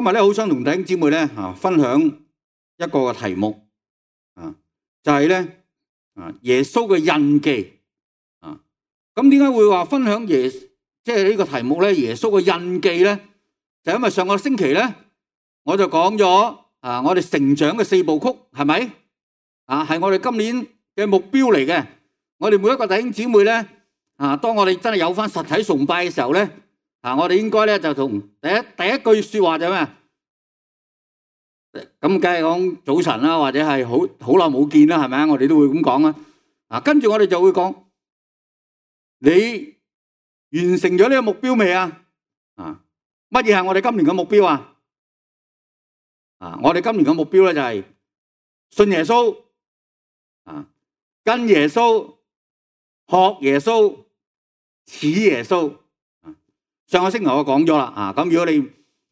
今日咧好想同弟兄姊妹咧分享一個嘅題目就係咧耶穌嘅印記咁點解會話分享即係呢個題目咧？耶穌嘅印記咧，就因為上個星期咧我就講咗我哋成長嘅4部曲係咪係我哋今年嘅目標嚟嘅。我哋每一個弟兄姊妹咧當我哋真係有翻實體崇拜嘅時候咧我哋應該咧就同第一句說話就係咩？咁梗係講早晨啦，或者係好耐冇見啦，係咪啊？我哋都會咁講啊。跟住我哋就會講，你完成咗呢個目標未啊？乜嘢係我哋今年嘅目標啊？我哋今年嘅目標咧就係信耶穌跟耶穌，學耶穌，似耶穌。上個星期我講咗啦，咁如果你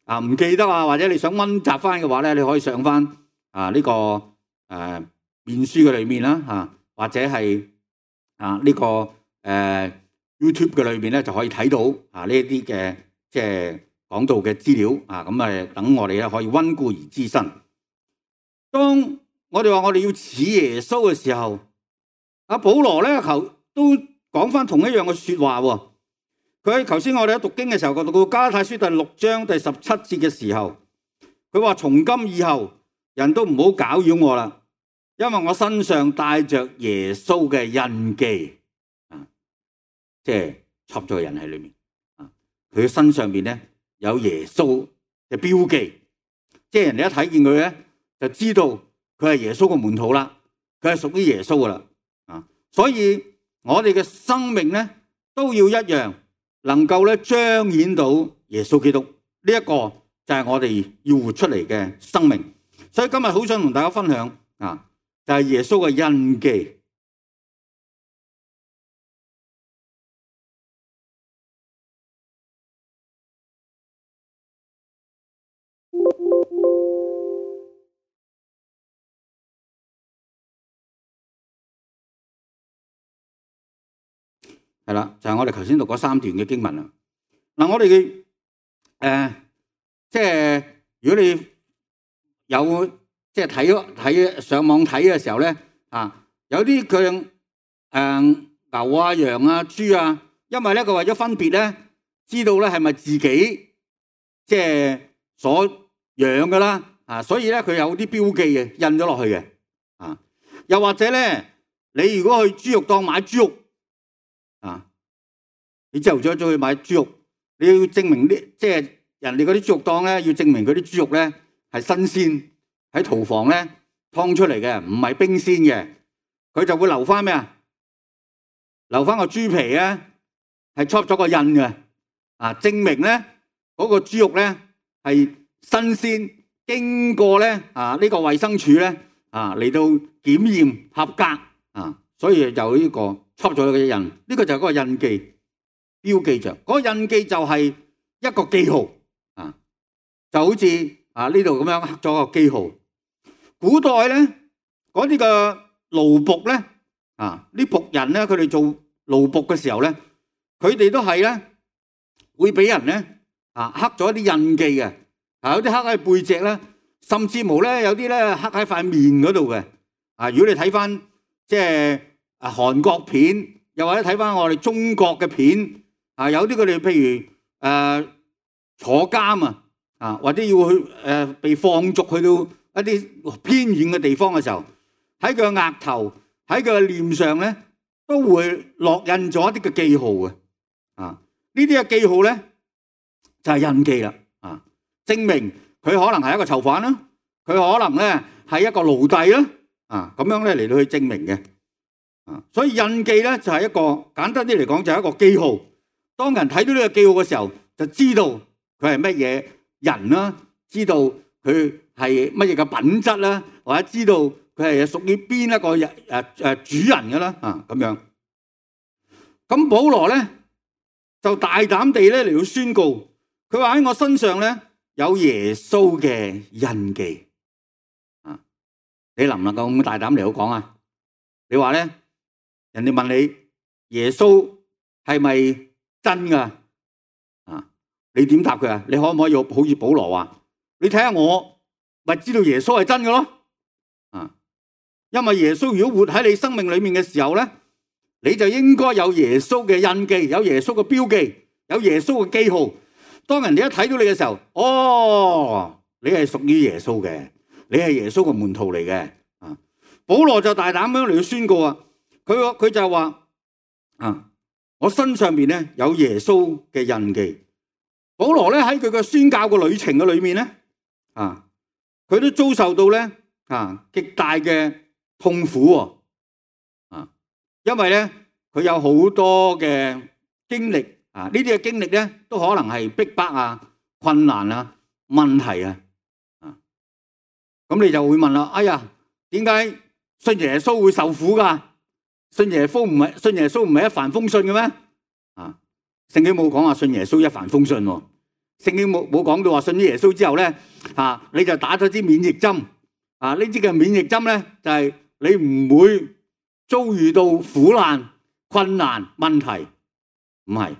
唔記得或者你想溫習翻嘅話咧，你可以上翻呢個面書嘅裏面啦，或者係呢個YouTube 嘅裏面咧就可以睇到呢一啲嘅即係講道嘅資料咁等我哋咧可以溫故而知新。當我哋話我哋要似耶穌嘅時候，保羅咧都講翻同一樣嘅說話喎。佢頭先我哋喺讀經嘅時候，讀到加拉太書第6章第17節嘅時候，佢話從今以後人都唔好攪擾我啦，因為我身上帶着耶穌嘅印記，即係插咗個人喺裏面，佢嘅身上邊咧有耶穌嘅標記，即係人哋一睇見佢咧就知道佢係耶穌嘅門徒啦，佢係屬於耶穌噶啦，所以我哋嘅生命咧都要一樣。能夠咧彰顯到耶穌基督呢一個就係我哋要活出嚟嘅生命，所以今日好想同大家分享就係耶穌嘅印記。係啦，就係我哋頭先讀嗰3段嘅經文啦。我哋嘅即係如果你有即係睇上網睇嘅時候咧，有啲佢牛啊、羊啊、豬啊，因為咧佢為咗分別咧，知道咧係咪自己即係所養噶啦，所以咧佢有啲標記嘅印咗落去嘅，又或者咧，你如果去豬肉檔買豬肉。你朝頭早去買豬肉，你要證明即係人哋嗰啲豬肉檔咧，要證明嗰啲豬肉咧係新鮮喺屠房咧劏出嚟嘅，唔係冰鮮嘅，佢就會留翻咩啊？留翻個豬皮啊，係戳咗個印嘅，證明咧嗰個豬肉咧係新鮮，經過咧呢個衛生署咧嚟到檢驗合格所以就呢個戳咗個印，呢個就係嗰個印記。標記着嗰個印記就係一個記號就好似呢度咁樣刻咗個記號。古代咧嗰啲嘅奴僕咧啲僕人咧，佢哋做奴僕嘅時候咧，佢哋都係咧會俾人咧刻咗一啲印記嘅，有啲刻喺背脊咧，甚至乎咧有啲咧刻喺塊面嗰度嘅。如果你睇翻即係韓國片，又或者睇翻我哋中國嘅片。有啲佢哋譬如坐監或者要去被放逐去到一啲偏遠嘅地方嘅時候，喺佢嘅額頭、喺佢嘅臉上咧，都會落印咗一啲嘅記號嘅。呢啲嘅記號咧就係印記啦。證明佢可能係一個囚犯啦，佢可能咧係一個奴隸啦。咁樣咧嚟到去證明嘅。所以印記咧就係一個簡單啲嚟講就係一個記號。當人睇到呢個記號嘅時候，就知道佢係乜嘢人啦，知道佢係乜嘢嘅品質啦，或者知道佢係屬於邊一個主人嘅啦，咁樣。咁保羅咧就大膽地咧嚟到宣告，佢話喺我身上咧有耶穌嘅印記。你能唔能夠咁大膽嚟到講啊？你話咧，人哋問你耶穌係咪真噶？你點答佢啊？你可唔可以好似保羅話你睇下我，咪知道耶穌係真嘅咯。因為耶穌如果活喺你生命裏面嘅時候咧，你就應該有耶穌嘅印記，有耶穌嘅標記，有耶穌嘅記號。當人哋一睇到你嘅時候，哦，你係屬於耶穌嘅，你係耶穌嘅門徒嚟嘅。保羅就大膽咁嚟到宣告啊，佢就話我身上邊咧有耶穌嘅印記。保羅咧喺佢嘅宣教嘅旅程嘅裏面咧，佢都遭受到咧極大嘅痛苦。因為咧佢有好多嘅經歷呢啲嘅經歷咧都可能係逼迫啊、困難啊、問題啊。咁你就會問啦，哎呀，點解信耶穌會受苦噶？信耶穌唔係一帆風順嘅咩？聖經冇講話信耶穌一帆風順喎。聖經冇講到話信咗耶穌之後咧你就打咗支免疫針。呢支嘅免疫針咧就係你唔會遭遇到苦難、困難、問題，唔係。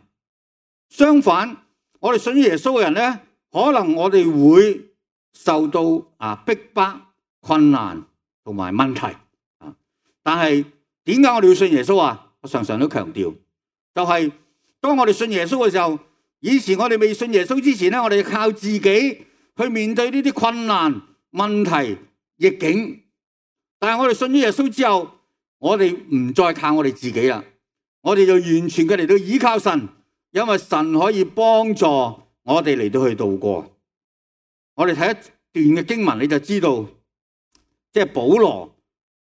相反，我哋信咗耶穌嘅人咧，可能我哋會受到逼迫、困難同埋問題。但係點解我哋要信耶穌啊？我常常都強調，就係當我哋信耶穌嘅時候，以前我哋未信耶穌之前咧，我哋靠自己去面對呢啲困難、問題、逆境。但係我哋信咗耶穌之後，我哋唔再靠我哋自己啦，我哋就完全嘅嚟到依靠神，因為神可以幫助我哋嚟到去度過。我哋睇一段嘅經文，你就知道，即係保羅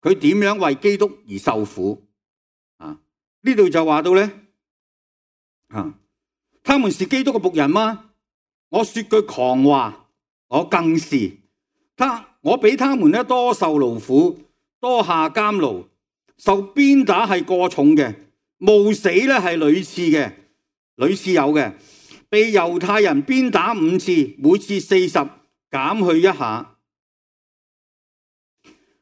佢點樣為基督而受苦。呢度就話到咧，他們是基督嘅僕人嗎？我說句狂話，我更是。我比他們咧多受勞苦，多下監牢，受鞭打係過重嘅，冒死咧係屢次有嘅，被猶太人鞭打5次，每次40，減去一下，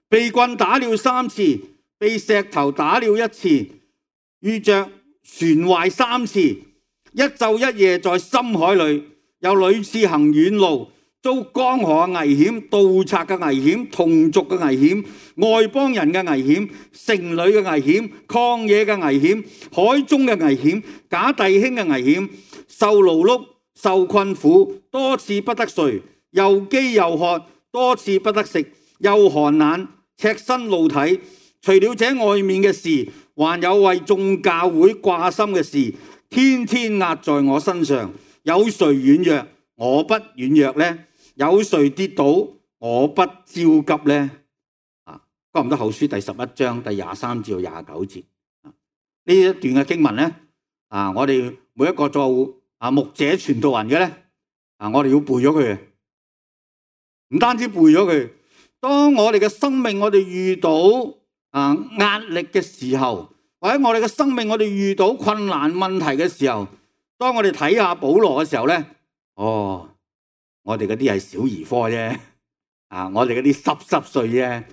被棍打了3次，被石頭打了1次，遇着船壞3次，一晝一夜在深海裏，又屢次行遠路，遭江河嘅危險、盜賊嘅危險、同族嘅危險、外邦人嘅危險、城裏嘅危險、曠野嘅危險、海中嘅危險、假弟兄嘅危險，受勞碌、受困苦，多次不得睡，又飢又渴，多次不得食，又寒冷，赤身露體。除了這外面嘅事，還有為眾教會掛心嘅事，天天壓在我身上。有誰軟弱，我不軟弱呢？有誰跌倒，我不焦急呢？哥林多後書第11章第23至29節，呢一段嘅經文呢，我哋每一個做牧者傳道人嘅呢，我哋要背咗佢，唔單止背咗佢。當我哋嘅生命我哋遇到壓力嘅時候，或者我哋嘅生命我哋遇到困難問題嘅時候，當我哋睇下保羅嘅時候呢，我哋嗰啲係小兒科啫，我哋嗰啲濕碎啫，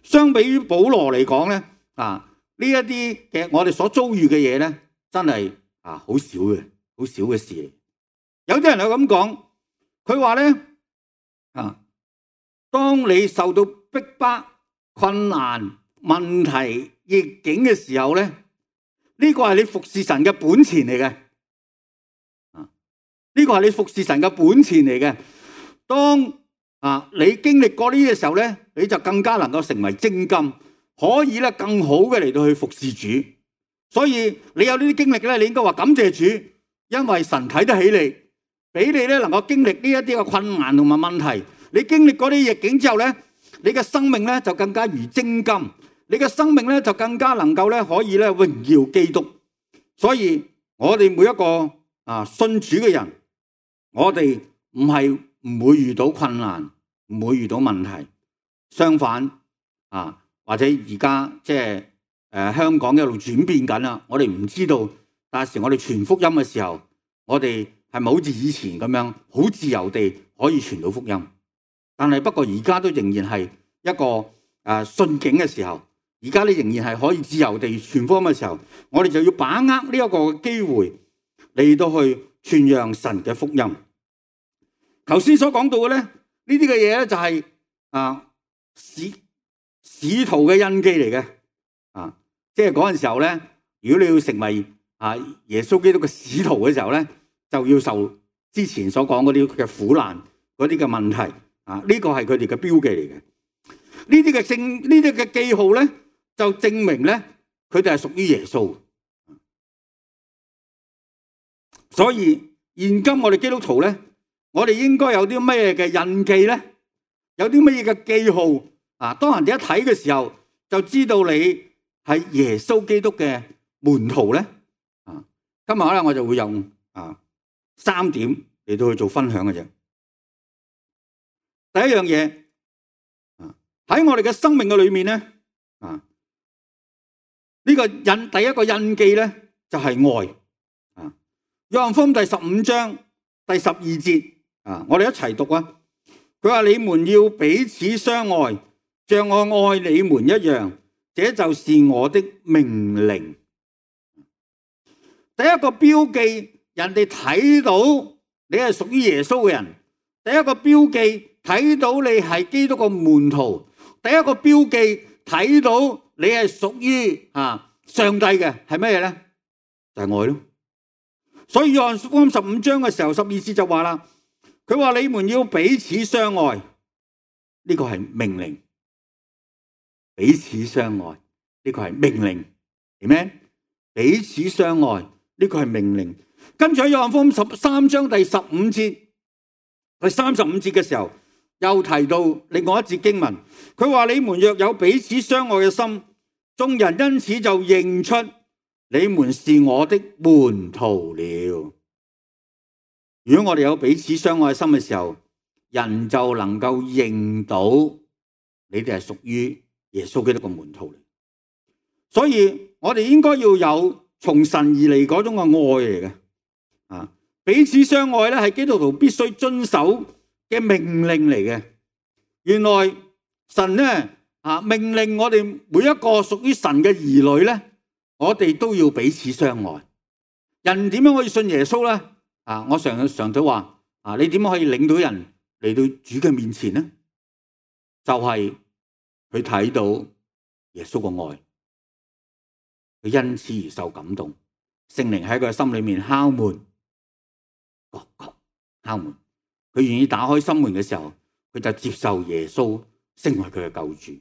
相比於保羅嚟講咧，呢一啲嘅我哋所遭遇嘅嘢咧，真係好少嘅事。有啲人係咁講，佢話咧，當你受到逼迫、困難、問題、逆境嘅時候咧，呢個係你服侍神嘅本錢嚟嘅。呢個係你服侍神嘅本錢嚟嘅。當你經歷過呢啲嘅時候咧，你就更加能夠成為精金，可以咧更好嘅嚟到去服侍主。所以你有呢啲經歷咧，你應該話感謝主，因為神睇得起你，俾你咧能夠經歷呢一啲嘅困難同埋問題。你經歷過啲逆境之後咧，你嘅生命咧就更加如精金，你嘅生命咧就更加能夠咧可以咧榮耀基督。所以我哋每一個信主嘅人，我哋唔係唔會遇到困難，唔會遇到問題。相反或者而家即係香港一路轉變緊啦，我哋唔知道，但係我哋傳福音嘅時候，我哋係咪好似以前咁樣好自由地可以傳到福音？但係不過而家都仍然係一個順境嘅時候，而家你仍然係可以自由地傳福音嘅時候，我哋就要把握呢一個機會嚟到去傳揚神嘅福音。頭先所講到嘅咧，呢啲嘅嘢咧就係使徒嘅印記嚟嘅。即係嗰陣時候咧，如果你要成為耶穌基督嘅使徒嘅時候咧，就要受之前所講嗰啲嘅苦難、嗰啲嘅問題。呢個係佢哋嘅標記嚟嘅。呢啲嘅記號咧，就證明咧佢哋係屬於耶穌。所以現今我哋基督徒咧，我哋應該有啲咩嘅印記咧？有啲乜嘢嘅記號？當人哋一睇嘅時候，就知道你係耶穌基督嘅門徒咧。今日咧我就會用3點嚟到去做分享嘅啫。第一樣嘢，喺我哋嘅生命嘅裏面咧，呢個第一個印記咧就係愛。約翰福音第15章第12節，我哋一齊讀啊！佢話：你們要彼此相愛，像我愛你們一樣，這就是我的命令。第一個標記，人哋睇到你係屬於耶穌嘅人；第一個標記，睇到你係基督嘅門徒；第一個標記，睇到你係屬於上帝嘅，係咩嘢咧？就係愛咯。所以約翰福音15章嘅時候12節就話啦，佢話你們要彼此相愛，呢個係命令。彼此相愛，呢個係命令，明咩？彼此相愛，呢個係命令。跟住喺約翰福音13章第15節、第35節嘅時候，又提到另外一節經文，佢話你們若有彼此相愛嘅心，眾人因此就認出你們是我的門徒了。如果我哋有彼此相愛心嘅時候，人就能夠認到你哋係屬於耶穌基督嘅門徒嚟。所以我哋應該要有從神而嚟嗰種嘅愛嚟嘅。彼此相愛咧係基督徒必須遵守嘅命令嚟嘅。原來神咧命令我哋每一個屬於神嘅兒女咧，我哋都要彼此相愛。人點樣可以信耶穌咧？我常都話你點樣可以領到人嚟到主嘅面前呢？就係佢睇到耶穌嘅愛，佢因此而受感動，聖靈喺佢心裏面敲門，敲門，佢願意打開心門嘅時候，佢就接受耶穌成為佢嘅救主。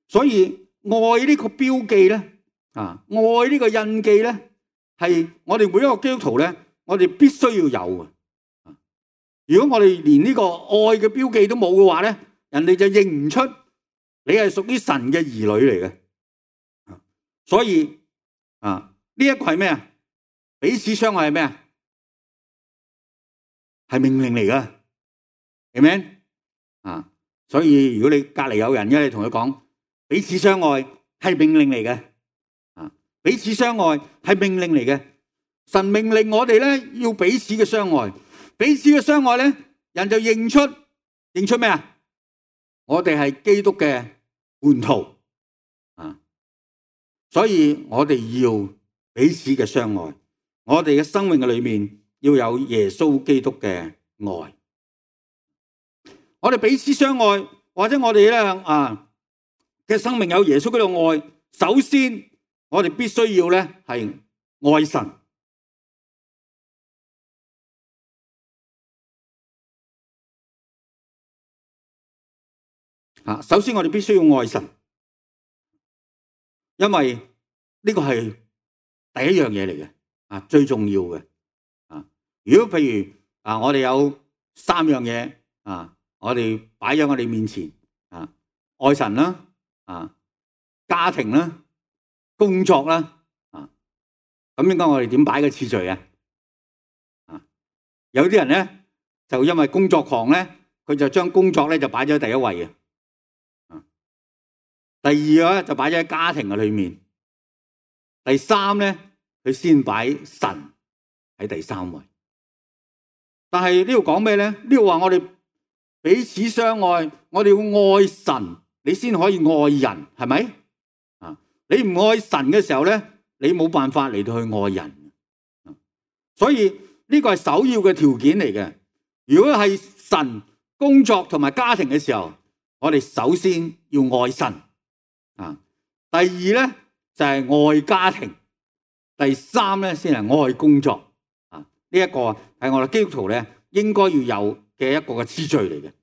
所以愛呢個標記咧，愛呢個印記咧，係我哋每一個基督徒咧，我哋必須要有嘅。如果我哋連呢個愛嘅標記都冇嘅話咧，人哋就認唔出你係屬於神嘅兒女嚟嘅。所以呢一個係咩啊？彼此相愛係咩啊？係命令嚟噶，明唔明？所以如果你隔籬有人，你同佢講彼此相愛係命令嚟嘅，彼此相愛係命令嚟嘅。神命令我哋咧要彼此嘅相愛，彼此嘅相愛咧，人就認出咩啊？我哋係基督嘅門徒。所以我哋要彼此嘅相愛，我哋嘅生命嘅裏面要有耶穌基督嘅愛。我哋彼此相愛，或者我哋咧嘅生命有耶穌基督嘅愛，首先我哋必須要咧係愛神。首先我哋必須要愛神。因為呢個係第一樣嘢嚟嘅，最重要嘅。如果譬如我哋有3樣嘢，我哋擺喺我哋面前，愛神啦，家庭啦，工作啦，咁應該我哋點擺嘅次序啊？有啲人咧就因為工作狂咧，佢就將工作咧就擺咗喺第一位嘅。第二個咧就擺咗喺家庭嘅裏面，第三咧佢先擺神喺第3位。但係呢度講咩咧？呢度話我哋彼此相愛，我哋要愛神，你先可以愛人，係咪？你唔愛神嘅時候咧，你冇辦法嚟到去愛人。所以呢個係首要嘅條件嚟嘅。如果係神工作同埋家庭嘅時候，我哋首先要愛神啊。第二咧就係愛家庭，第三咧先係愛工作啊。呢一個係我哋基督徒咧應該要有嘅一個嘅次序嚟嘅，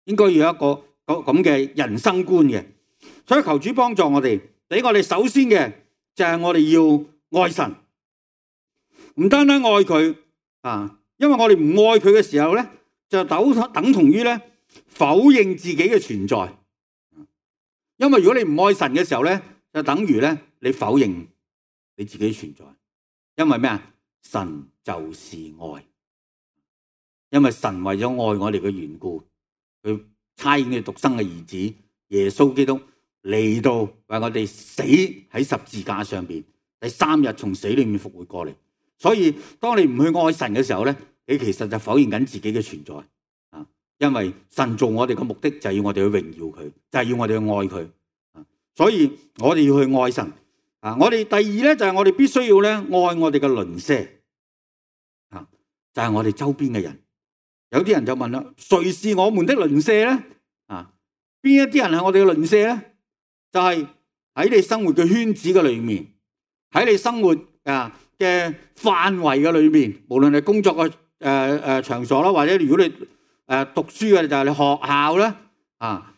應該要有一個咁嘅人生觀嘅。所以求主幫助我哋，俾我哋首先嘅就係我哋要愛神，唔單單愛佢啊，因為我哋唔愛佢嘅時候咧，就等同於咧否認自己嘅存在。因為如果你唔愛神嘅時候咧，就等於咧你否認你自己存在。因為咩啊？神就是愛，因為神為咗愛我哋嘅緣故，佢差遣佢獨生嘅兒子耶穌基督嚟到為我哋死喺十字架上邊，第三日從死裏面復活過嚟。所以當你唔去愛神嘅時候咧，你其實就否認緊自己嘅存在啊！因為神做我哋嘅目的就係要我哋去榮耀佢，就係要我哋去愛佢啊！所以我哋要去愛神啊！我哋第二咧就係我哋必須要咧愛我哋嘅鄰舍啊！就係我哋周邊嘅人。有啲人就問啦：誰是我們的鄰舍咧？啊，邊一啲人係我哋嘅鄰舍咧？就係喺你生活嘅圈子嘅裏面，喺你生活嘅範圍嘅裏面，無論係工作嘅場所啦，或者如果你讀書嘅就係你學校啦，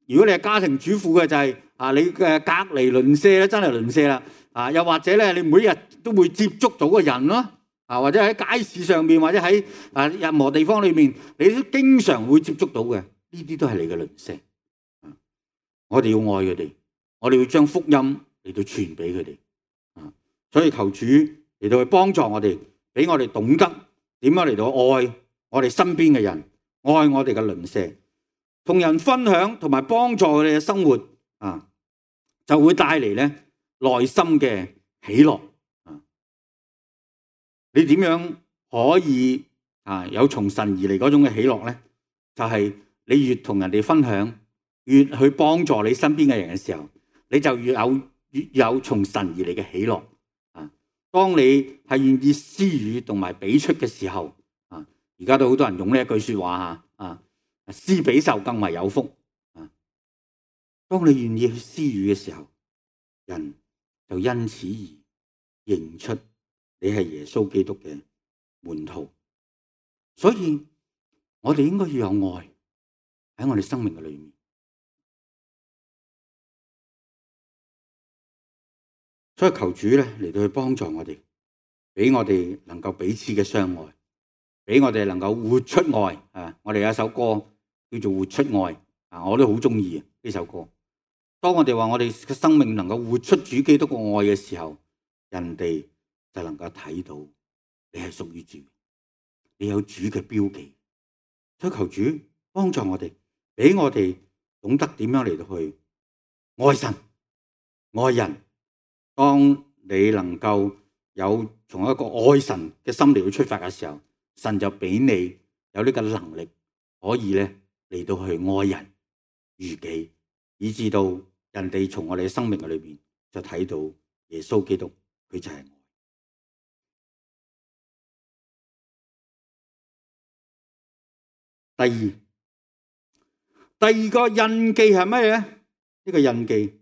如果你係家庭主婦嘅就係你嘅隔離鄰舍咧，真係鄰舍啦，又或者咧你每日都會接觸到嘅人咯，或者喺街市上面，或者喺任何地方裏面，你都經常會接觸到嘅，呢啲都係你嘅鄰舍。我哋要愛佢哋，我哋要將福音嚟到傳俾佢哋。所以求主嚟到去幫助我哋，俾我哋懂得點樣嚟到愛我哋身邊嘅人，愛我哋嘅鄰舍，同人分享同埋幫助佢哋嘅生活就會帶嚟咧內心嘅喜樂。你點樣可以有從神而嚟嗰種嘅喜樂咧？就係你越同人哋分享，越去幫助你身邊嘅人嘅時候，你就越有從神而嚟嘅喜樂。當你係願意施予同埋俾出嘅時候，而家都好多人用呢一句說話施比受更為有福。當你願意去施予嘅時候，人就因此而認出你係耶穌基督嘅門徒。所以我哋應該要有愛喺我哋生命嘅裏面。所以求主咧嚟到去幫助我哋，俾我哋能夠彼此嘅相愛，俾我哋能夠活出愛。我哋有一首歌叫做《活出愛》，我都好中意呢首歌。當我哋話我哋嘅生命能夠活出主基督嘅愛嘅時候，人哋就能夠睇到你係屬於主，你有主嘅標記。所以求主幫助我哋，俾我哋懂得點樣嚟到去愛神、愛人。當你能夠有從一個愛神嘅心嚟去出發嘅時候，神就俾你有呢個能力，可以咧嚟到去愛人如己，以至到人哋從我哋嘅生命嘅裏邊就睇到耶穌基督，佢就係愛。第二個印記係咩咧？呢個印記。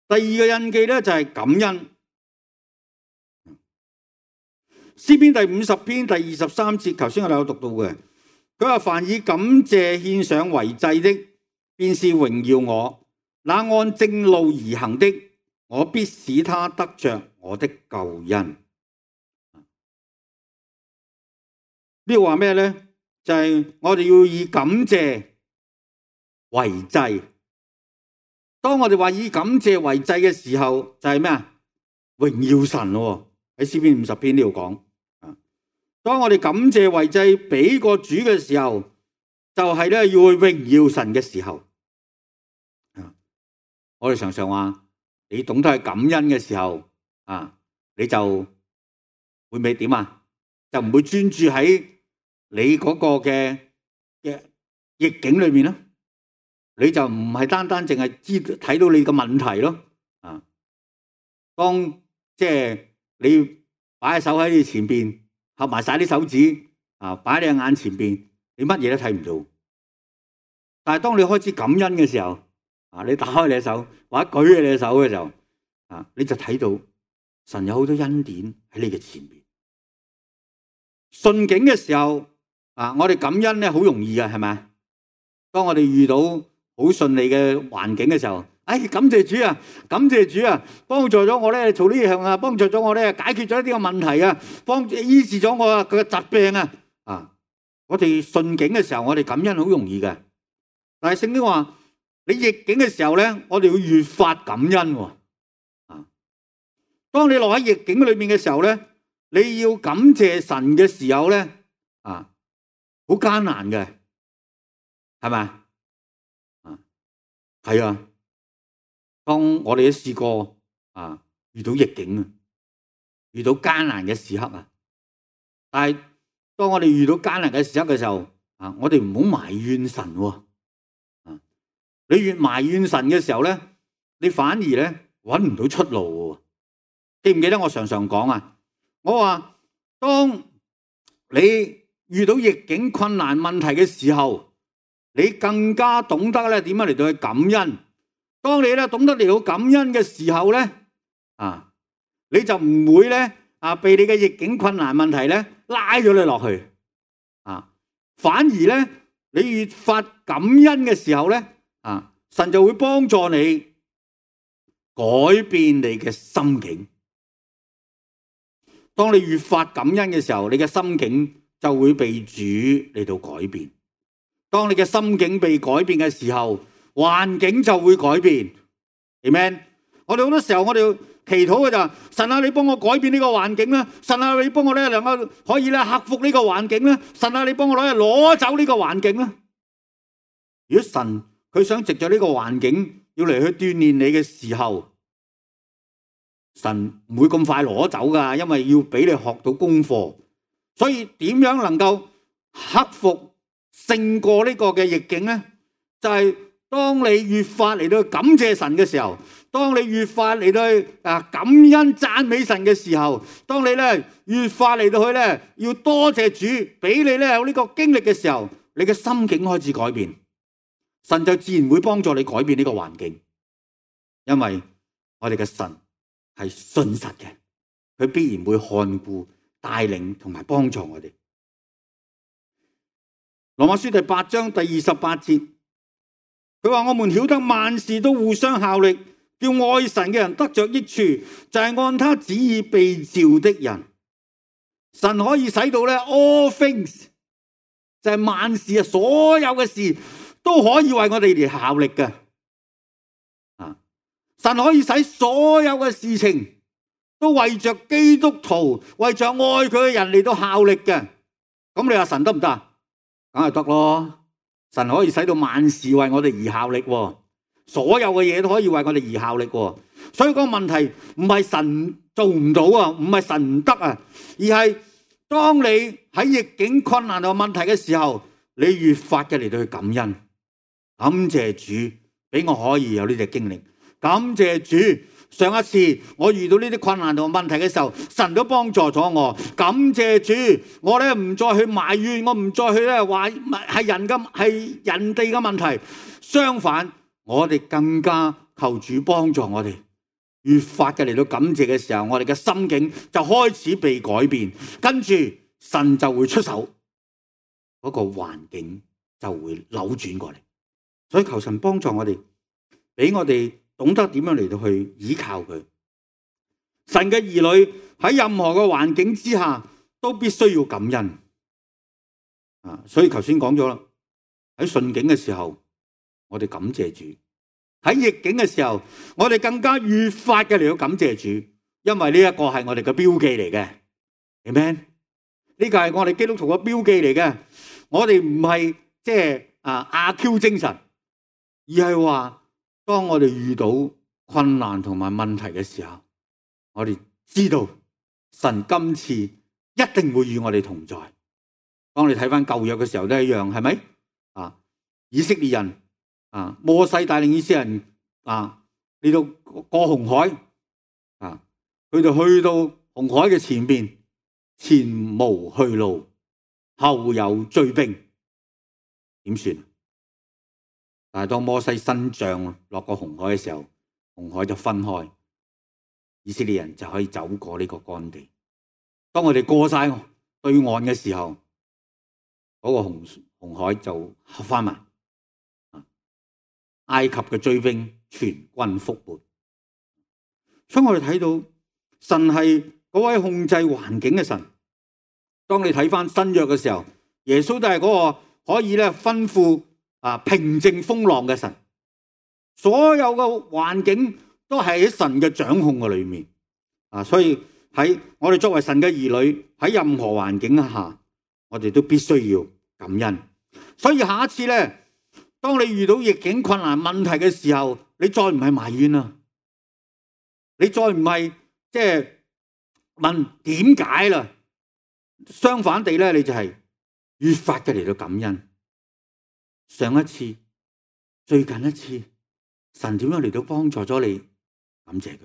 第二個印記咧就係感恩。詩篇第50篇第23節，頭先我哋有讀到嘅，佢話凡以感謝獻上為祭的，便是榮耀我；那按正路而行的，我必使他得着我的救恩。呢個話咩咧？就係我哋要以感謝為祭。當我哋話以感謝為祭嘅時候，就係咩啊？榮耀神咯。喺詩篇50篇呢度講，當我哋感謝為祭俾個主嘅時候，就係咧要去榮耀神嘅時候。我哋常常話，你懂得去感恩嘅時候，你就會唔會點啊？就唔會專注喺你嗰個嘅逆境裏面咯。你就唔係單單淨係睇到你嘅問題咯。當即係你擺喺手喺你前邊，合埋晒啲手指，擺喺你眼前邊，你乜嘢都睇唔到。但係當你開始感恩嘅時候，你打開你嘅手或者舉起你嘅手嘅時候，你就睇到神有好多恩典喺你嘅前面。順境嘅時候，我哋感恩咧好容易嘅，係咪？當我哋遇到好順利嘅環境嘅時候，感謝主啊，感謝主啊，幫助咗我咧做呢樣啊，幫助咗我咧解決咗一啲嘅問題啊，醫治咗我佢嘅疾病啊。我哋順境嘅時候，我哋感恩好容易嘅。但係聖經話，你逆境嘅時候咧，我哋要越發感恩。當你落喺逆境裏面嘅時候咧，你要感謝神嘅時候咧，好艱難嘅，係咪？係啊。當我哋都試過遇到逆境，遇到艱難嘅時刻，但係當我哋遇到艱難嘅時刻嘅時候，我哋唔好埋怨神。你越埋怨神嘅時候咧，你反而咧搵唔到出路。記唔記得我常常講我話當你遇到逆境困難問題嘅時候，你更加懂得咧點樣嚟到去感恩。當你咧懂得嚟到感恩嘅時候咧，你就唔會咧被你嘅逆境困難問題咧拉咗你落去，反而咧你越發感恩嘅時候咧，神就會幫助你改變你嘅心境。當你越發感恩嘅時候，你嘅心境就會被主嚟到改變。當你嘅心境被改變嘅時候，環境就會改變。Amen。我哋好多時候我哋要祈禱嘅就係神啊，你幫我改變呢個環境啦！神啊，你幫我咧能夠可以咧克服呢個環境啦！神啊，你幫我攞走呢個環境啦！如果神佢想藉着呢個環境要嚟去鍛煉你嘅時候，神唔會咁快攞走噶，因為要俾你學到功課。所以點樣能夠克服勝過呢個嘅逆境咧？就係當你越發嚟到感謝神嘅時候，當你越發嚟到感恩讚美神嘅時候，當你咧越發嚟到去咧要多謝主俾你咧有呢個經歷嘅時候，你嘅心境開始改變，神就自然會幫助你改變呢個環境。因為我哋嘅神係信實嘅，佢必然會看顧帶領同埋幫助我哋。羅馬書第8章第28節，佢話我們曉得萬事都互相效力，叫愛神嘅人得着益處，就係按他旨意被召的人。神可以使到咧 all things， 就係萬事所有嘅事都可以為我哋而效力嘅。神可以使所有嘅事情都為着基督徒，為着愛佢嘅人嚟到效力嘅。咁你話神得唔得？梗係得咯。神可以使到萬事為我哋而效力，所有嘅嘢都可以為我哋而效力。所以個問題唔係神做唔到啊，唔係神唔得啊，而係當你喺逆境困難同問題嘅時候，你越發嘅嚟到去感恩，感謝主俾我可以有呢隻經歷，感謝主上一次我遇到呢啲困難同問題嘅時候，神都幫助咗我，感謝主，我咧唔再去埋怨，我唔再去咧話係人哋嘅問題，相反我哋更加求主幫助我哋，越發嘅嚟到感謝嘅時候，我哋嘅心境就開始被改變，跟住神就會出手，嗰個環境就會扭轉過嚟。所以求神幫助我哋，俾我哋懂得點樣嚟到去依靠佢。神嘅兒女喺任何嘅環境之下都必須要感恩。所以頭先講咗啦，喺順境嘅時候，我哋感謝主；喺逆境嘅時候，我哋更加越發嘅嚟到感謝主，因為呢一個係我哋嘅標記嚟嘅。Amen，呢個係我哋基督徒嘅標記嚟嘅。我哋唔係即係阿 Q 精神，而係話當我哋遇到困難同埋問題嘅時候，我哋知道神今次一定會與我哋同在。當你睇翻舊約嘅時候都一樣，係咪？以色列人摩西帶領以色列人嚟到過紅海，佢哋去到紅海嘅前邊，前無去路，後有追兵，點算？但係當摩西伸杖落個紅海嘅時候，紅海就分開，以色列人就可以走過呢個乾地。當我哋過晒對岸嘅時候，嗰個紅海就合翻埋，埃及嘅追兵全軍覆沒。所以我哋睇到神係嗰位控制環境嘅神。當你睇翻新約嘅時候，耶穌都係嗰個可以咧吩咐平靜風浪嘅神。所有嘅環境都係喺神嘅掌控嘅裏面。所以喺我哋作為神嘅兒女，喺任何環境下，我哋都必須要感恩。所以下一次咧，當你遇到逆境困難問題嘅時候，你再唔係埋怨啦，你再唔係即係問點解啦，相反地咧，你就係越發嘅嚟到感恩。上一次、最近一次，神點樣嚟到幫助咗你？感謝佢。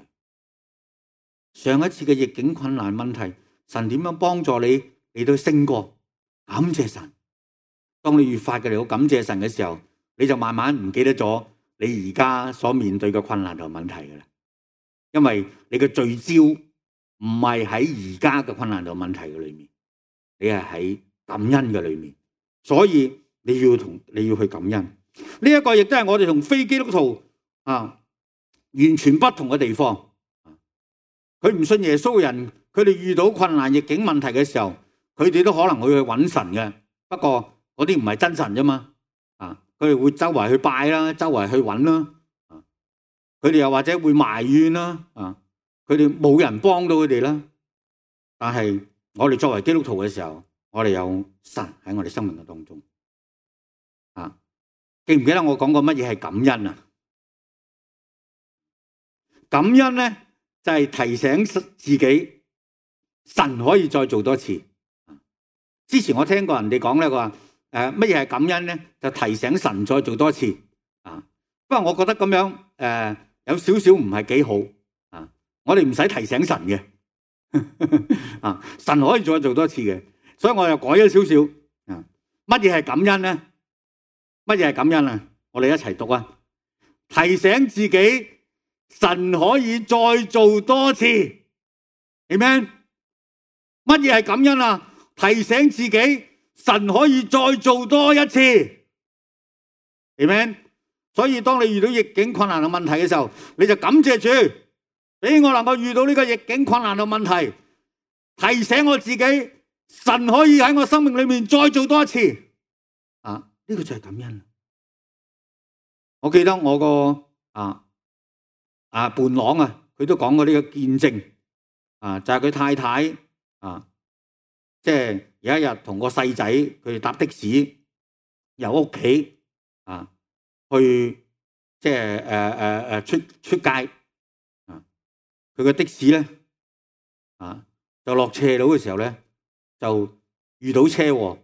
上一次嘅逆境困難問題，神點樣幫助你嚟到勝過？感謝神。當你越發嘅嚟到感謝神嘅時候，你就慢慢唔記得咗你而家所面對嘅困難同問題㗎喇。因為你嘅聚焦唔係喺而家嘅困難同問題嘅裏面，你係喺感恩嘅裏面。所以你要去感恩。呢一個亦都係我哋同非基督徒完全不同嘅地方。佢唔信耶穌嘅人，佢哋遇到困難逆境問題嘅時候，佢哋都可能會去揾神嘅。不過嗰啲唔係真神啫嘛。佢哋會周圍去拜啦，周圍去揾啦。佢哋又或者會埋怨啦。佢哋冇人幫到佢哋啦。但係我哋作為基督徒嘅時候，我哋有神喺我哋生命嘅當中。記唔記得我講過乜嘢係感恩啊？感恩咧就係提醒自己，神可以再做多次。之前我聽過人哋講咧，佢話乜嘢係感恩咧？就提醒神再做多次。不過我覺得咁樣有少少唔係幾好。我哋唔使提醒神嘅。神可以再做多次嘅，所以我又改咗少少。乜嘢係感恩咧？乜嘢係感恩啊？我哋一齊讀啊！提醒自己，神可以再做多次。Amen。乜嘢係感恩啊？提醒自己，神可以再做多一次。Amen。所以當你遇到逆境困難嘅問題嘅時候，你就感謝主，俾我能夠遇到呢個逆境困難嘅問題，提醒我自己，神可以喺我生命裏面再做多一次。呢個就係感恩。我記得我個伴郎佢都講過呢個見證。就係佢太太即係有一日同個細仔佢哋搭的士由屋企去即係出街。佢個的士咧就落斜路嘅時候咧就遇到車禍，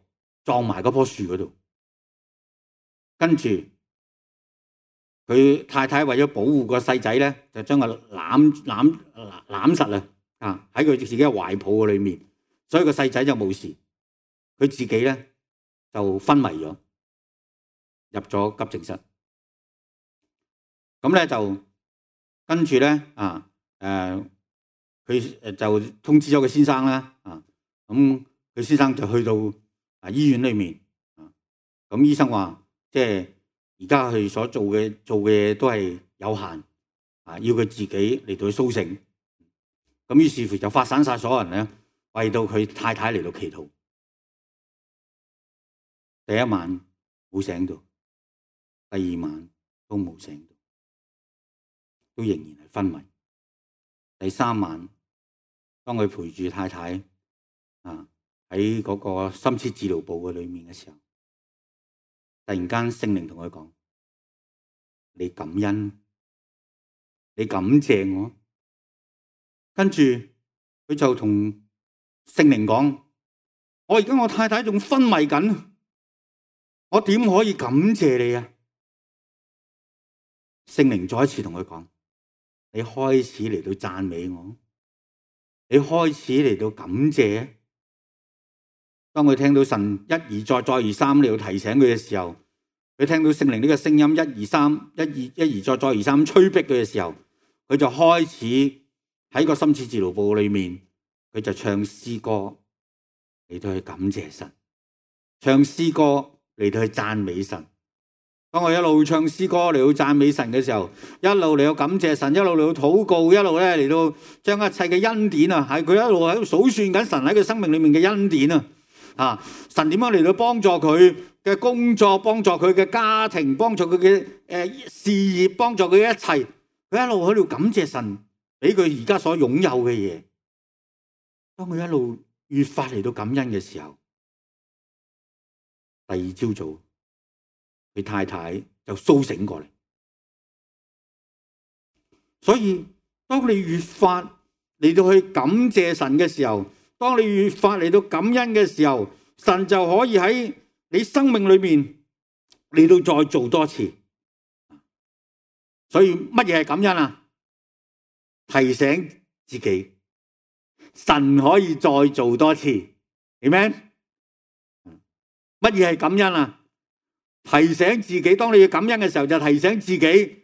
撞埋嗰棵樹嗰度。跟住佢太太為咗保護個細仔咧，就將佢攬實啦，喺佢自己嘅懷抱嘅裏面，所以個細仔就冇事，佢自己咧就昏迷咗，入咗急症室。咁咧就跟住咧佢就通知咗佢先生啦。咁佢先生就去到醫院裏面。咁醫生話，即係而家佢所做嘅嘢都係有限，要佢自己嚟到去甦醒。咁於是乎就發散晒所有人咧，為到佢太太嚟到祈禱。第一晚冇醒到，第二晚都冇醒到，都仍然係昏迷。第三晚，當佢陪住太太喺嗰個深切治療部嘅裏面嘅時候，突然間聖靈同佢講：你感恩，你感謝我。跟住佢就同聖靈講：我而家我太太仲昏迷緊，我點可以感謝你啊？聖靈再一次同佢講：你開始嚟到讚美我，你開始嚟到感謝。當佢聽到神一而再再而三嚟到提醒佢嘅時候，佢聽到聖靈呢個聲音一而再再而三催逼佢嘅時候，佢就開始喺個深切治療部裏面，佢就唱詩歌嚟到去感謝神，唱詩歌嚟到去讚美神。當我一路唱詩歌嚟到讚美神嘅時候，一路嚟到感謝神，一路嚟到禱告，一路咧嚟到將一切嘅恩典啊，係佢一路喺度數算緊神喺佢生命裏面嘅恩典啊！神點樣嚟到幫助佢嘅工作，幫助佢嘅家庭，幫助佢嘅事業，幫助佢嘅一切，佢一路喺度感謝神俾佢而家所擁有嘅嘢。當佢一路越發嚟到感恩嘅時候，第二朝早，佢太太就蘇醒過嚟。所以當你越發嚟到去感謝神嘅時候，當你越發嚟到感恩嘅時候，神就可以喺你生命裏面嚟到再做多次。所以乜嘢係感恩啊？提醒自己，神可以再做多次。Amen？乜嘢係感恩啊？提醒自己，當你要感恩嘅時候，就提醒自己，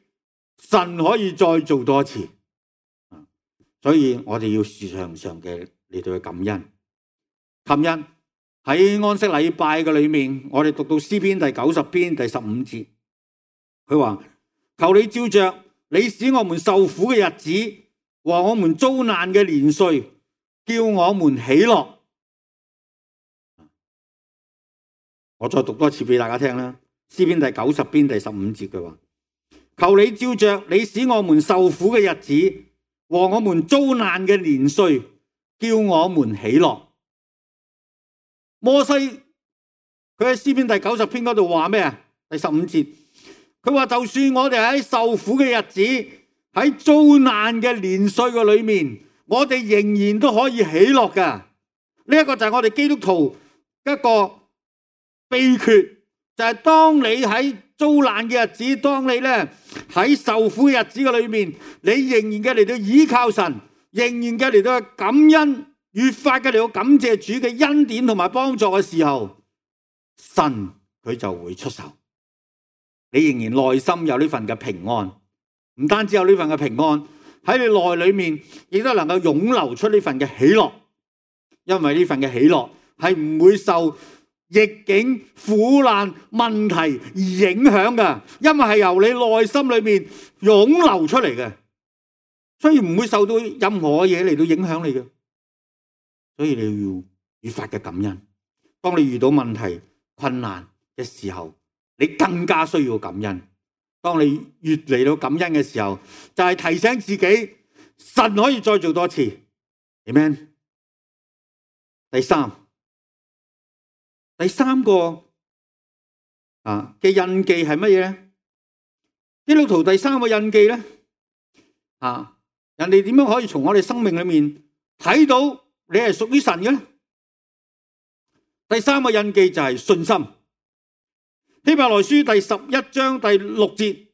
神可以再做多次。所以我哋要時常嘅嚟到去感恩。琴日喺安息禮拜嘅裏面，我哋讀到詩篇第90篇第15節，佢話：求你照着你使我們受苦嘅日子和我們遭難嘅年歲，叫我們喜樂。我再讀多次俾大家聽啦。詩篇第90篇第15節佢話：求你照着你使我們受苦嘅日子和我們遭難嘅年歲，叫我們喜樂。摩西佢喺詩篇第90篇嗰度話咩啊？第15節，佢話就算我哋喺受苦嘅日子，喺遭難嘅年歲嘅裏面，我哋仍然都可以喜樂噶。呢一個就係我哋基督徒一個秘訣。就係當你喺遭難嘅日子，當你咧喺受苦嘅日子嘅裏面，你仍然嘅嚟到依靠神，仍然嘅嚟到感恩，越發嘅嚟到感謝主嘅恩典同埋幫助嘅時候，神佢就會出手。你仍然內心有呢份嘅平安，唔單止有呢份嘅平安，喺你內裏面亦都能夠湧流出呢份嘅喜樂，因為呢份嘅喜樂係唔會受逆境、苦難、問題而影響嘅，因為係由你內心裏面湧流出嚟嘅，所以唔會受到任何嘢嚟到影響你嘅。所以你要越發嘅感恩。當你遇到問題、困難嘅時候，你更加需要感恩。當你越嚟到感恩嘅時候，就係提醒自己，神可以再做多次。Amen。第三個嘅印記係乜嘢咧？基督徒第三個印記咧，人哋點樣可以從我哋生命裏面睇到你係屬於神嘅咧？第三個印記就係信心。希伯來書第11章第6節，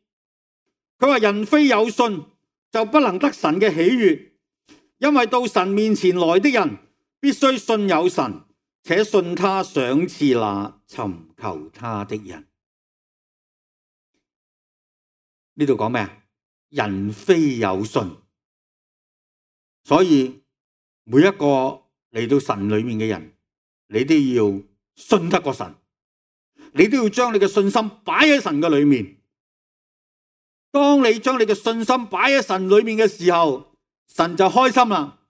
佢話人非有信就不能得神嘅喜悅，因為到神面前來的人必須信有神，且信他賞賜那尋求他的人。呢度講咩啊？人非有信，所以每一個嚟到神裏面嘅人，你都要信得過神，你都要將你嘅信心擺喺神嘅裏面。當你將你嘅信心擺喺神裏面嘅時候，神就開心啦。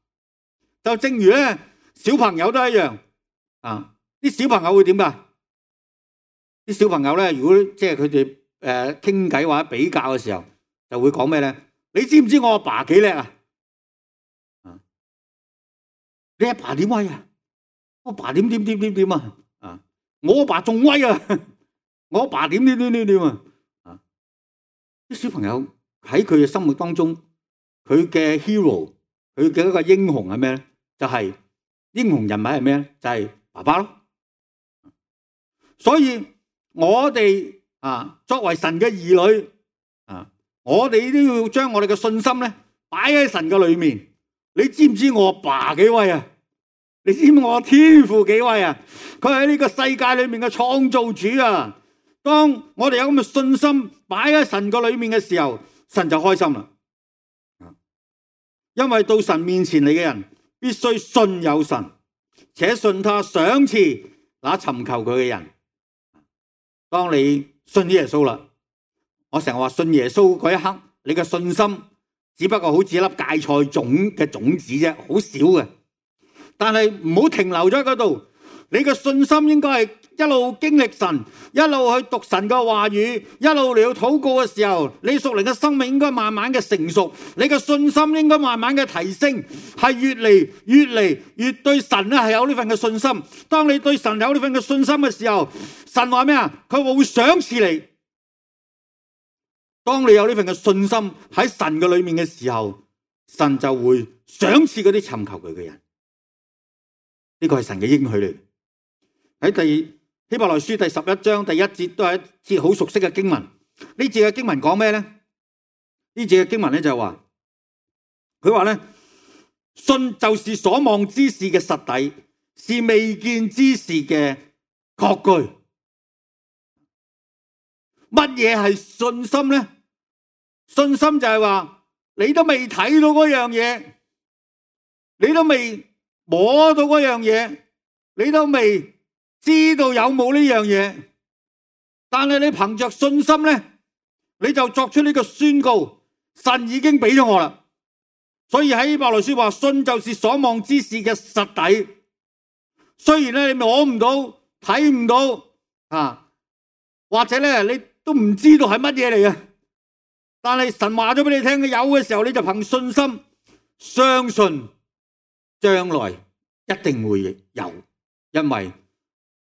就正如咧，小朋友都一樣。啲小朋友會點噶？啲小朋友咧，如果即係佢哋傾偈或者比較嘅時候，就會講咩咧？你知唔知我阿爸幾叻啊？你阿爸點威啊？我阿爸點啊？我阿爸仲威啊！我阿爸點啊？啲小朋友喺佢嘅心目當中，佢嘅 hero， 佢嘅一個英雄係咩咧？就係英雄人物係咩咧？就係爸爸咯。所以我哋作為神嘅兒女我哋都要將我哋嘅信心咧擺喺神嘅裏面。你知唔知我阿爸幾威啊？你知唔知我天父幾位啊？佢喺呢個世界裏面嘅創造主啊！當我哋有咁嘅信心擺喺神個裏面嘅時候，神就開心啦。因為到神面前嚟嘅人，必須信有神，且信他賞賜那尋求佢嘅人。當你信耶穌啦，我成日話信耶穌嗰一刻，你嘅信心只不過好似一粒芥菜種嘅種子啫，好少嘅。但係唔好停留咗喺嗰度，你嘅信心應該係一路經歷神，一路去讀神嘅話語，一路嚟到禱告嘅時候，你屬靈嘅生命應該慢慢嘅成熟，你嘅信心應該慢慢嘅提升，係越嚟越對神咧係有呢份嘅信心。當你對神有呢份嘅信心嘅時候，神話咩啊？佢會賞賜你。當你有呢份嘅信心喺神嘅裏面嘅時候，神就會賞賜嗰啲尋求佢嘅人。呢個係神嘅應許嚟。喺希伯來書第11章第1節都係一節好熟悉嘅經文。呢節嘅經文講咩咧？呢節嘅經文咧就係話，佢話咧，信就是所望之事嘅實底，是未見之事嘅確據。乜嘢係信心咧？信心就係話你都未睇到嗰樣嘢，你都未摸到嗰樣嘢，你都未知道有冇呢樣嘢，但係你憑着信心咧，你就作出呢個宣告，神已經俾咗我啦。所以喺希伯來書話，信就是所望之事嘅實底。雖然咧你摸唔到、睇唔到啊，或者咧你都唔知道係乜嘢嚟嘅，但係神話咗俾你聽嘅有嘅時候，你就憑信心相信將來一定會有，因為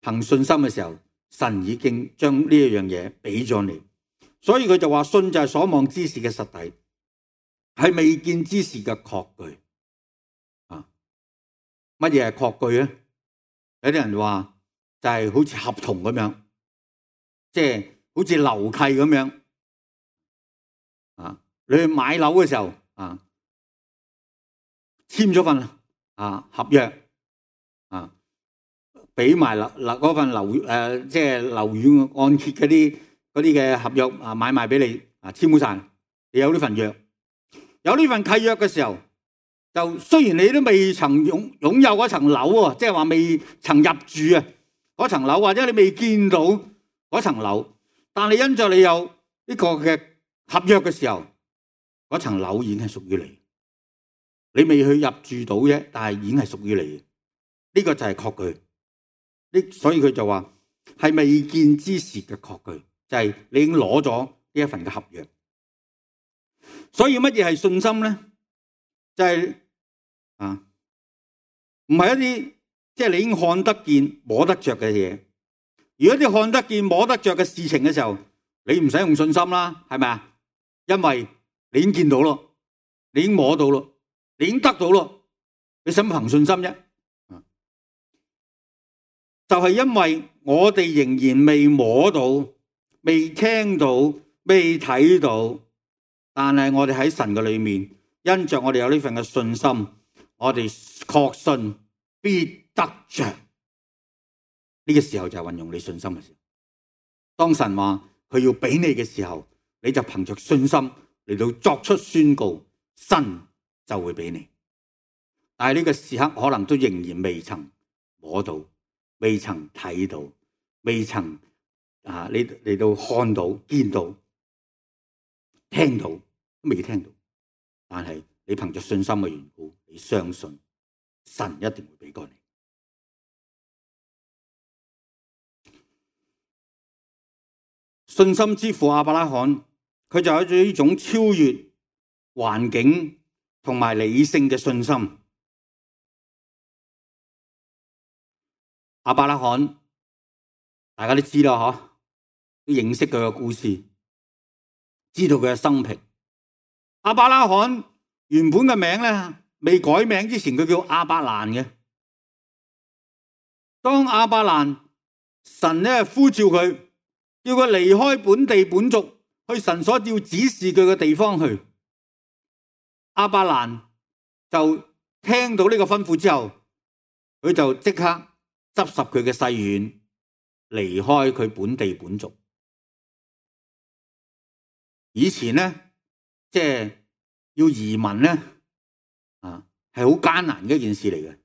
憑信心嘅時候，神已經將呢一樣嘢俾咗你，所以佢就話信就係所望之事嘅實底，係未見之事嘅確據。啊，乜嘢係確據咧？有啲人話就係好似合同咁樣，即係好似樓契咁樣。啊，你去買樓嘅時候啊，簽咗份合約啊。俾埋嗰份即係樓宇按揭嗰啲嘅合約買賣俾你簽好晒，你有呢份約，有呢份契約嘅時候，就雖然你都未曾擁有嗰層樓喎，即係話未曾入住啊嗰層樓，或者你未見到嗰層樓，但係因着你有呢個嘅合約嘅時候，嗰層樓已經係屬於你，你未去入住到啫，但係已經係屬於你，呢個就係確據。所以佢就話係未見之事嘅確據，就係你已經攞咗呢一份嘅合約。所以乜嘢係信心咧？就係唔係一啲即係你已經看得見摸得着嘅嘢。如果啲看得見摸得着嘅事情嘅時候，你唔使用信心啦，係咪啊？因為你已經見到咯，你已經摸到咯，你已經得到咯，你使乜憑信心啫？就係因為我哋仍然未摸到、未聽到、未睇到，但係我哋喺神嘅裏面，因着我哋有呢份嘅信心，我哋確信必得着。呢個時候就係運用你信心嘅時候。當神話佢要俾你嘅時候，你就憑着信心嚟到作出宣告，神就會俾你。但係呢個時刻可能都仍然未曾摸到。未曾睇到，未曾你到看到、見到、聽到，都未聽到。但係你憑着信心嘅緣故，你相信神一定會俾過你。信心之父亞伯拉罕，佢就有咗呢種超越環境同埋理性嘅信心。亞伯拉罕，大家都知啦，都認識佢嘅故事，知道佢嘅生平。亞伯拉罕原本嘅名咧，未改名之前，佢叫亞伯蘭嘅。當亞伯蘭神咧呼召佢，叫佢離開本地本族，去神所要指示佢嘅地方去。亞伯蘭就聽到呢個吩咐之後，佢就即刻執拾佢嘅細軟，離開佢本地本族。以前咧，即係要移民咧，係好艱難嘅一件事嚟嘅。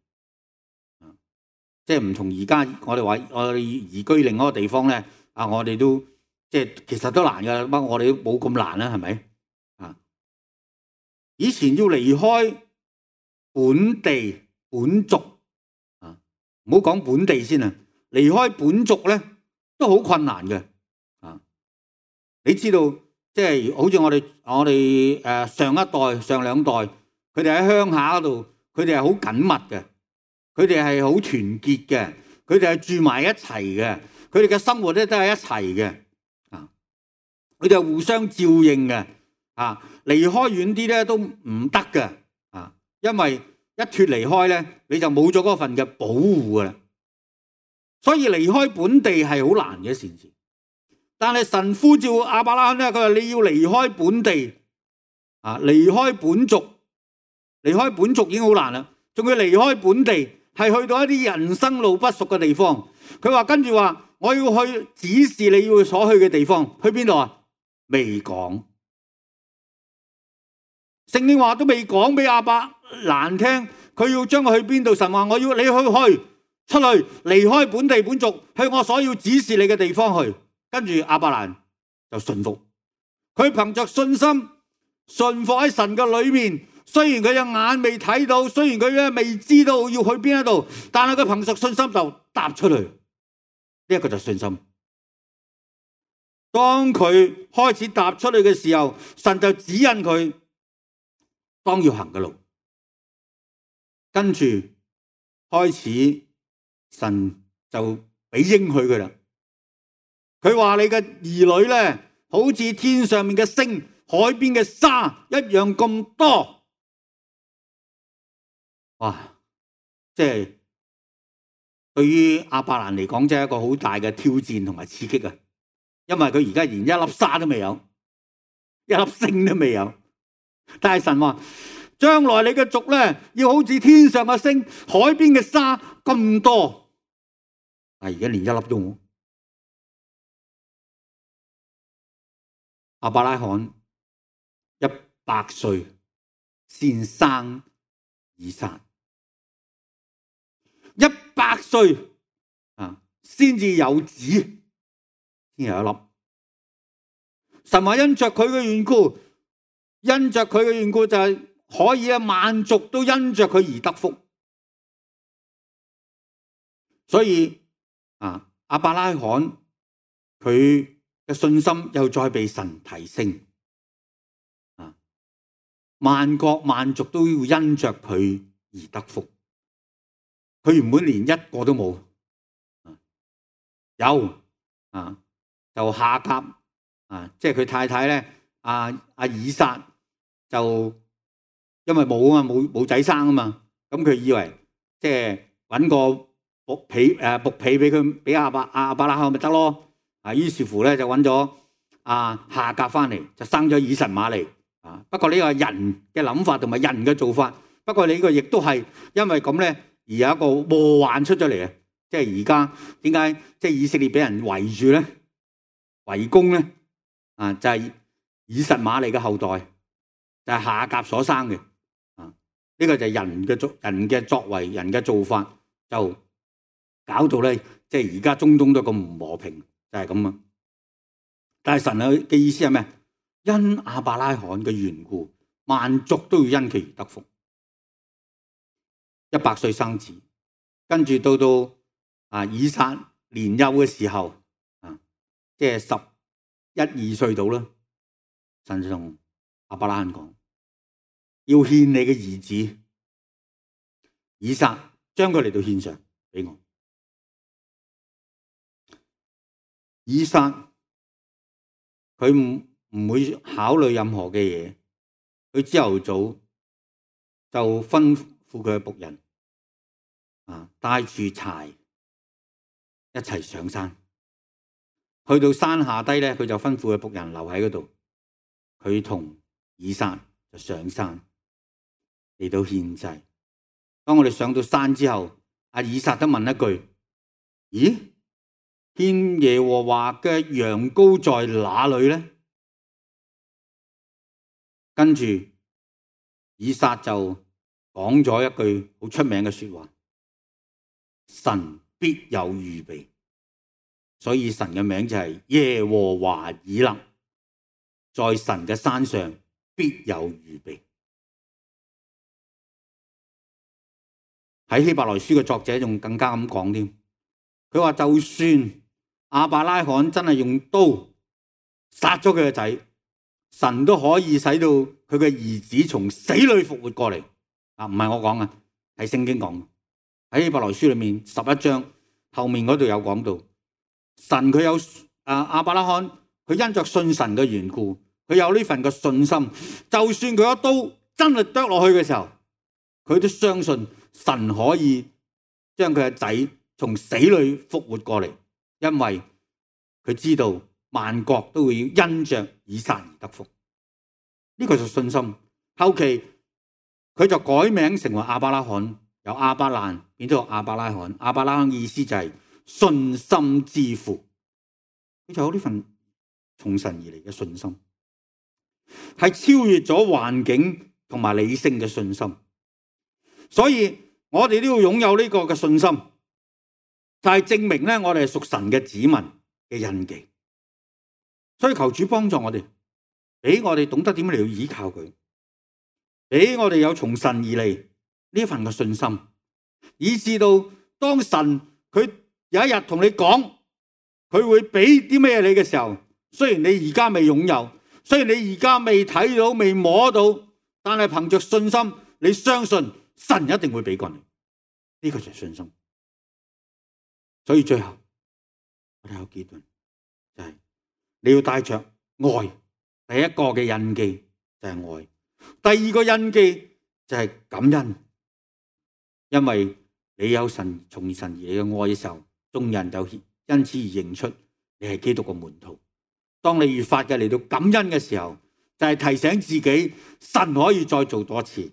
即係唔同而家我哋話我哋移居另一個地方咧，我哋都即係其實都難噶，不過我哋都冇咁難啦，係咪？以前要離開本地本族，唔好講本地先啊，離開本族咧都好困難嘅。你知道，即係好似我哋上一代、上兩代，佢哋喺鄉下嗰度，佢哋係好緊密嘅，佢哋係好團結嘅，佢哋係住埋一齊嘅，佢哋嘅生活咧都係一齊嘅，佢哋係互相照應嘅，離開遠啲咧都唔得嘅，因為一脫離開咧，你就冇咗嗰份嘅保護噶啦，所以離開本地係好難嘅一件事。但係神呼召亞伯拉罕咧，佢話你要離開本地，離開本族，離開本族已經好難啦，仲要離開本地，係去到一啲人生路不熟嘅地方。佢話跟住話，我要去指示你要所去嘅地方，去邊度啊？未講，聖經話都未講俾亞伯蘭聽，佢要將佢去邊度？神話我要你去出去，離開本地本族，去我所要指示你嘅地方去。跟住亞伯蘭就順服，佢憑着信心順服喺神嘅裏面。雖然佢隻眼未睇到，雖然佢咧未知道要去邊一度，但係佢憑着信心就踏出去。呢一個就係信心。當佢開始踏出去嘅時候，神就指引佢當要行嘅路。跟住開始，神就俾應許佢啦。佢話你嘅兒女咧，好似天上面嘅星、海邊嘅沙一樣咁多。哇！即係對於亞伯蘭嚟講，真係一個好大嘅挑戰同埋刺激啊！因為佢而家連一粒沙都未有，一粒星都未有。但係神話，將來你嘅族咧，要好似天上嘅星、海邊嘅沙咁多。但係而家連一粒都冇。亞伯拉罕100歲先生以撒，100歲先至有子，先有一粒。神話因着佢嘅緣故，因着佢嘅緣故就係可以萬族都因着佢而得福。所以亞伯拉罕佢嘅信心又再被神提升，萬國萬族都要因着佢而得福。佢原本連一個都冇，有就夏甲即係佢太太咧，以撒就因為冇仔生啊嘛，咁佢以為即係搵個僕婢俾佢俾亞伯拉罕咪得咯。於是乎咧就揾咗夏甲翻嚟，就生咗以實瑪利。不過呢個係人嘅諗法同埋人嘅做法。不過你呢個亦都係因為咁咧，而有一個禍患出咗嚟啊！即係而家點解即係以色列俾人圍住咧、圍攻咧？就係以實瑪利嘅後代，就係夏甲所生嘅。呢個就係人嘅作為、人嘅做法，就搞到咧，即係而家中東都咁唔和平。就係咁啊！但係神嘅意思係咩？因亞伯拉罕嘅緣故，萬族都要因佢而得福。100歲生子，跟住到以撒年幼嘅時候，即係11、12歲到啦。神就同亞伯拉罕講，要獻你嘅兒子以撒，將佢嚟到獻上俾我。以撒佢唔會考慮任何嘅嘢，佢朝頭早就吩咐佢嘅僕人帶住柴一齊上山，去到山下低咧，佢就吩咐佢僕人留喺嗰度，佢同以撒就上山嚟到獻祭。當我哋上到山之後，以撒都問一句：咦，獻耶和華嘅羊羔在哪裏呢？跟住以撒就講咗一句好出名嘅說話：神必有預備。所以神嘅名就係耶和華以勒，在神嘅山上必有預備。喺希伯來書嘅作者仲更加咁講添，佢話就算亞伯拉罕真係用刀殺咗佢嘅仔，神都可以使到佢嘅兒子從死裏復活過嚟。唔係我講啊，係聖經講。喺希伯來書裏面11章後面嗰度有講到，神佢有亞伯拉罕，佢因着信神嘅緣故，佢有呢份嘅信心，就算佢一刀真係剁落去嘅時候，佢都相信神可以將佢嘅仔從死裏復活過嚟，因為佢知道萬國都會因着以撒而得福。呢個就信心。後期佢就改名成為亞伯拉罕，由亞伯蘭變咗亞伯拉罕。亞伯拉罕意思就係信心之父。佢就有呢份從神而嚟嘅信心，係超越咗環境同埋理性嘅信心。所以我哋都要擁有呢個嘅信心，就係證明咧我哋係屬神嘅子民嘅印記。所以求主幫助我哋，俾我哋懂得點樣嚟要依靠佢，俾我哋有從神而嚟呢份嘅信心，以至到當神佢有一日同你講佢會俾啲咩你嘅時候，雖然你而家未擁有，雖然你而家未睇到未摸到，但係憑着信心你相信神一定會俾過你。呢個就係信心。所以最後我哋有結論，就係你要帶着愛。第一個嘅印記就係愛，第二個印記就係感恩，因為你有神從神而嚟嘅愛嘅時候，眾人就因此而認出你係基督嘅門徒。當你越發嘅嚟到感恩嘅時候，就係提醒自己神可以再做多次。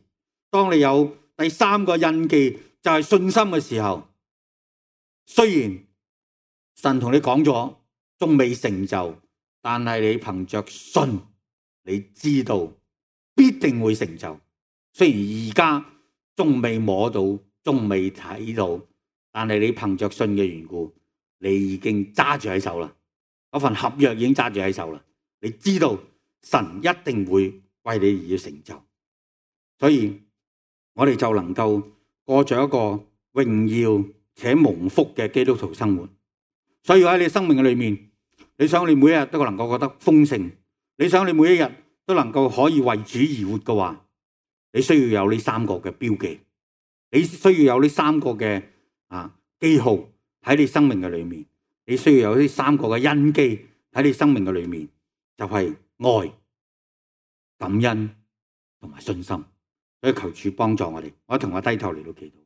當你有第三個印記就係信心嘅時候，雖然神同你講咗仲未成就，但係你憑着信，你知道必定會成就。雖然而家仲未摸到，仲未睇到，但係你憑着信嘅緣故，你已經揸住喺手啦。嗰份合約已經揸住喺手啦。你知道神一定會為你而要成就，所以我哋就能夠過着一個榮耀且蒙福嘅基督徒生活。所以喺你生命嘅裏面，你想你每一日都能夠覺得豐盛，你想你每一日都能夠可以為主而活嘅話，你需要有呢三個嘅標記，你需要有呢三個嘅記號喺你生命嘅裏面，你需要有呢三個嘅印記喺你生命嘅裏面，就係愛、感恩同埋信心。所以求主幫助我哋，我同我低頭嚟到祈禱。